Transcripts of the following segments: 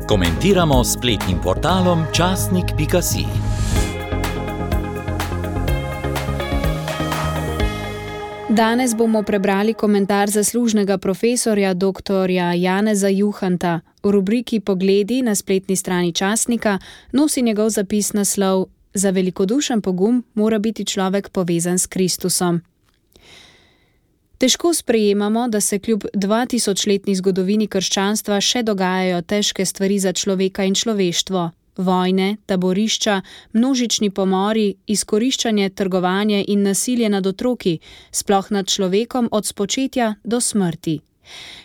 Komentiramo s spletnim portalom časnik.si. Danes bomo prebrali komentar zaslužnega profesorja dr. Janeza Juhanta. V rubriki Pogledi na spletni strani časnika nosi njegov zapis naslov Za velikodušen pogum mora biti človek povezan s Kristusom. Težko sprejemamo, da se kljub 2000-letni zgodovini krščanstva še dogajajo težke stvari za človeka in človeštvo. Vojne, taborišča, množični pomori, izkoriščanje, trgovanje in nasilje nad otroki, sploh nad človekom od spočetja do smrti.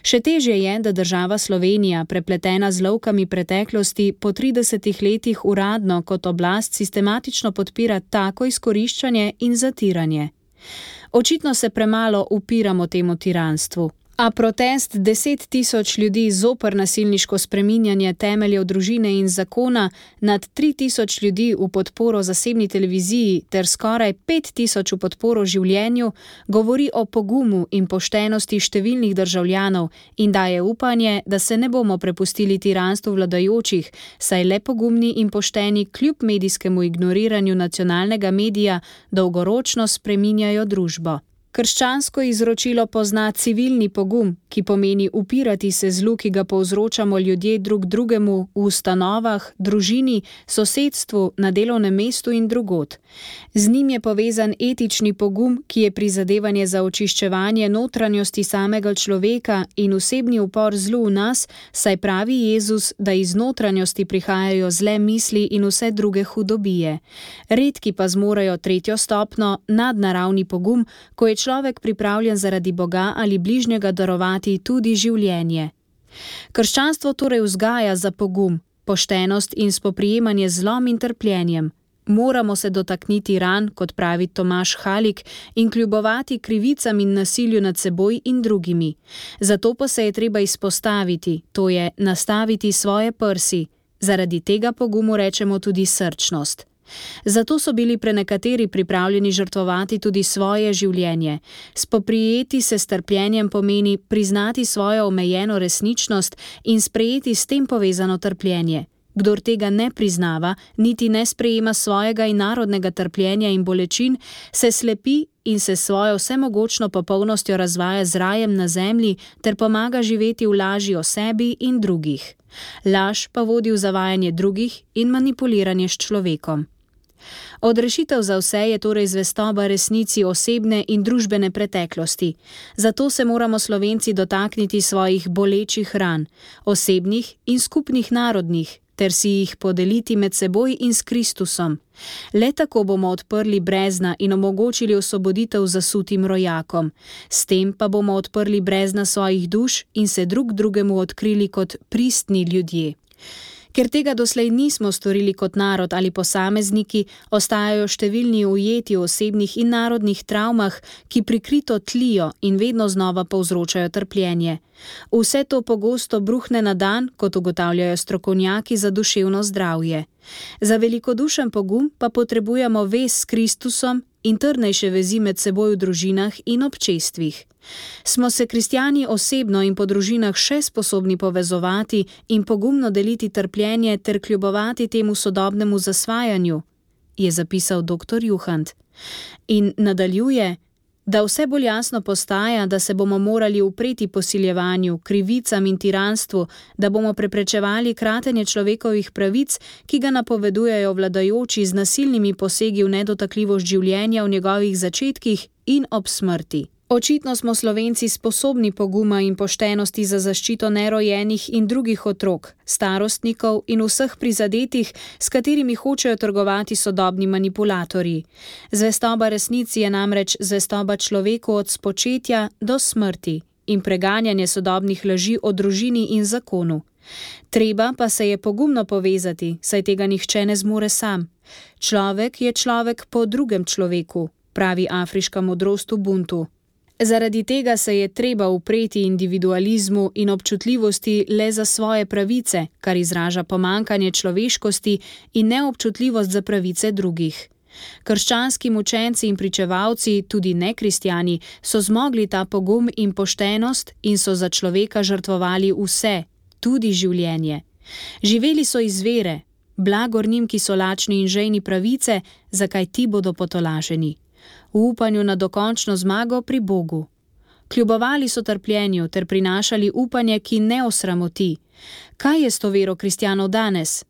Še težje je, da država Slovenija, prepletena z lovkami preteklosti, po 30 letih uradno kot oblast sistematično podpira tako izkoriščanje in zatiranje. Očitno se premalo upiramo temu tiranstvu. A protest 10 000 ljudi zoper nasilniško spreminjanje temeljev družine in zakona, nad 3000 ljudi v podporo zasebni televiziji ter skoraj 5000 v podporo življenju govori o pogumu in poštenosti številnih državljanov in daje upanje, da se ne bomo prepustili tiranstvu vladajočih, saj le pogumni in pošteni kljub medijskemu ignoriranju nacionalnega medija dolgoročno spreminjajo družbo. Krščansko izročilo pozna civilni pogum, ki pomeni upirati se zlu, ki ga povzročamo ljudje drug drugemu v ustanovah, družini, sosedstvu, na delovnem mestu in drugod. Z njim je povezan etični pogum, ki je prizadevanje za očiščevanje notranjosti samega človeka in osebni upor zlu v nas, saj pravi Jezus, da iz notranjosti prihajajo zle misli in vse druge hudobije. Redki pa zmorejo tretjo stopnjo, nadnaravni pogum, ko je človek pripravljen zaradi Boga ali bližnjega darovati tudi življenje. Krščanstvo torej vzgaja za pogum, poštenost in spoprijemanje z zlom in trpljenjem. Moramo se dotakniti ran, kot pravi Tomaž Halik, in kljubovati krivicam in nasilju nad seboj in drugimi. Zato pa se je treba izpostaviti, to je nastaviti svoje prsi. Zaradi tega pogumu rečemo tudi srčnost. Zato so bili prenekateri pripravljeni žrtvovati tudi svoje življenje. Spoprijeti se s trpljenjem pomeni priznati svojo omejeno resničnost in sprejeti s tem povezano trpljenje. Kdor tega ne priznava, niti ne sprejema svojega in narodnega trpljenja in bolečin, se slepi in se svojo vsemogočno popolnostjo razvaja z rajem na zemlji ter pomaga živeti v laži o sebi in drugih. Laž pa vodi v zavajanje drugih in manipuliranje s človekom. Odrešitev za vse je torej zvestoba resnici osebne in družbene preteklosti. Zato se moramo Slovenci dotakniti svojih bolečih ran, osebnih in skupnih narodnih, ter si jih podeliti med seboj in s Kristusom. Le tako bomo odprli brezna in omogočili osvoboditev zasutim rojakom. S tem pa bomo odprli brezna svojih duš in se drug drugemu odkrili kot pristni ljudje. Ker tega doslej nismo storili kot narod ali posamezniki, ostajajo številni ujeti v osebnih in narodnih travmah, ki prikrito tlijo in vedno znova povzročajo trpljenje. Vse to pogosto bruhne na dan, kot ugotavljajo strokovnjaki za duševno zdravje. Za velikodušen pogum pa potrebujemo vez s Kristusom in trdnejše vezi med seboj v družinah in občestvih. Smo se kristjani osebno in po družinah še sposobni povezovati in pogumno deliti trpljenje ter kljubovati temu sodobnemu zasvajanju, je zapisal dr. Juhant. In nadaljuje, da vse bolj jasno postaja, da se bomo morali upreti posiljevanju, krivicam in tiranstvu, da bomo preprečevali kratenje človekovih pravic, ki ga napovedujejo vladajoči z nasilnimi posegi v nedotakljivost življenja v njegovih začetkih in ob smrti. Očitno smo Slovenci sposobni poguma in poštenosti za zaščito nerojenih in drugih otrok, starostnikov in vseh prizadetih, s katerimi hočejo trgovati sodobni manipulatorji. Zvestoba resnici je namreč zvestoba človeku od spočetja do smrti in preganjanje sodobnih laži o družini in zakonu. Treba pa se je pogumno povezati, saj tega nihče ne zmore sam. Človek je človek po drugem človeku, pravi afriška modrost Ubuntu. Zaradi tega se je treba upreti individualizmu in občutljivosti le za svoje pravice, kar izraža pomanjkanje človeškosti in neobčutljivost za pravice drugih. Krščanski mučenci in pričevalci, tudi nekristjani, so zmogli ta pogum in poštenost in so za človeka žrtvovali vse, tudi življenje. Živeli so iz vere, blagor njim, ki so lačni in žejni pravice, zakaj ti bodo potolaženi. V upanju na dokončno zmago pri Bogu. Kljubovali so trpljenju ter prinašali upanje, ki ne osramoti. Kaj je s to vero kristjanov danes?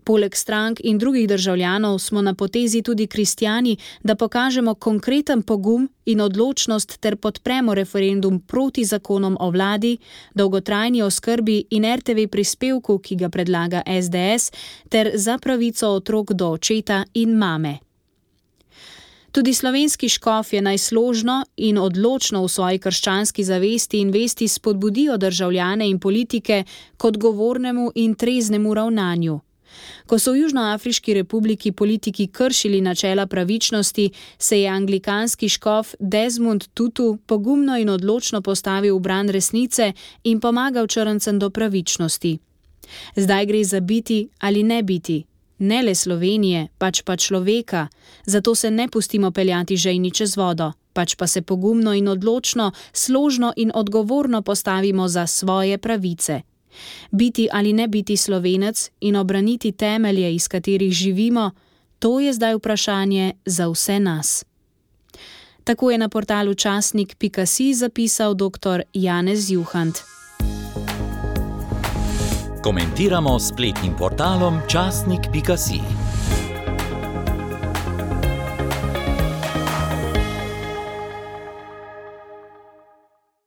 Poleg strank in drugih državljanov smo na potezi tudi kristjani, da pokažemo konkreten pogum in odločnost ter podpremo referendum proti zakonom o vladi, dolgotrajni oskrbi in RTV prispevku, ki ga predlaga SDS, ter za pravico otrok do očeta in mame. Tudi slovenski škofje naj složno in odločno v svoji krščanski zavesti in vesti spodbudijo državljane in politike k odgovornemu in treznemu ravnanju. Ko so v Južnoafriški republiki politiki kršili načela pravičnosti, se je anglikanski škof Desmond Tutu pogumno in odločno postavil v bran resnice in pomagal črncem do pravičnosti. Zdaj gre za biti ali ne biti, ne le Slovenije, pač pa človeka, zato se ne pustimo peljati žejni čez vodo, pač pa se pogumno in odločno, složno in odgovorno postavimo za svoje pravice. Biti ali ne biti Slovenec in obraniti temelje, iz katerih živimo, to je zdaj vprašanje za vse nas. Tako je na portalu časnik.si zapisal dr. Janez Juhant. Komentiramo s spletnim portalom časnik.si.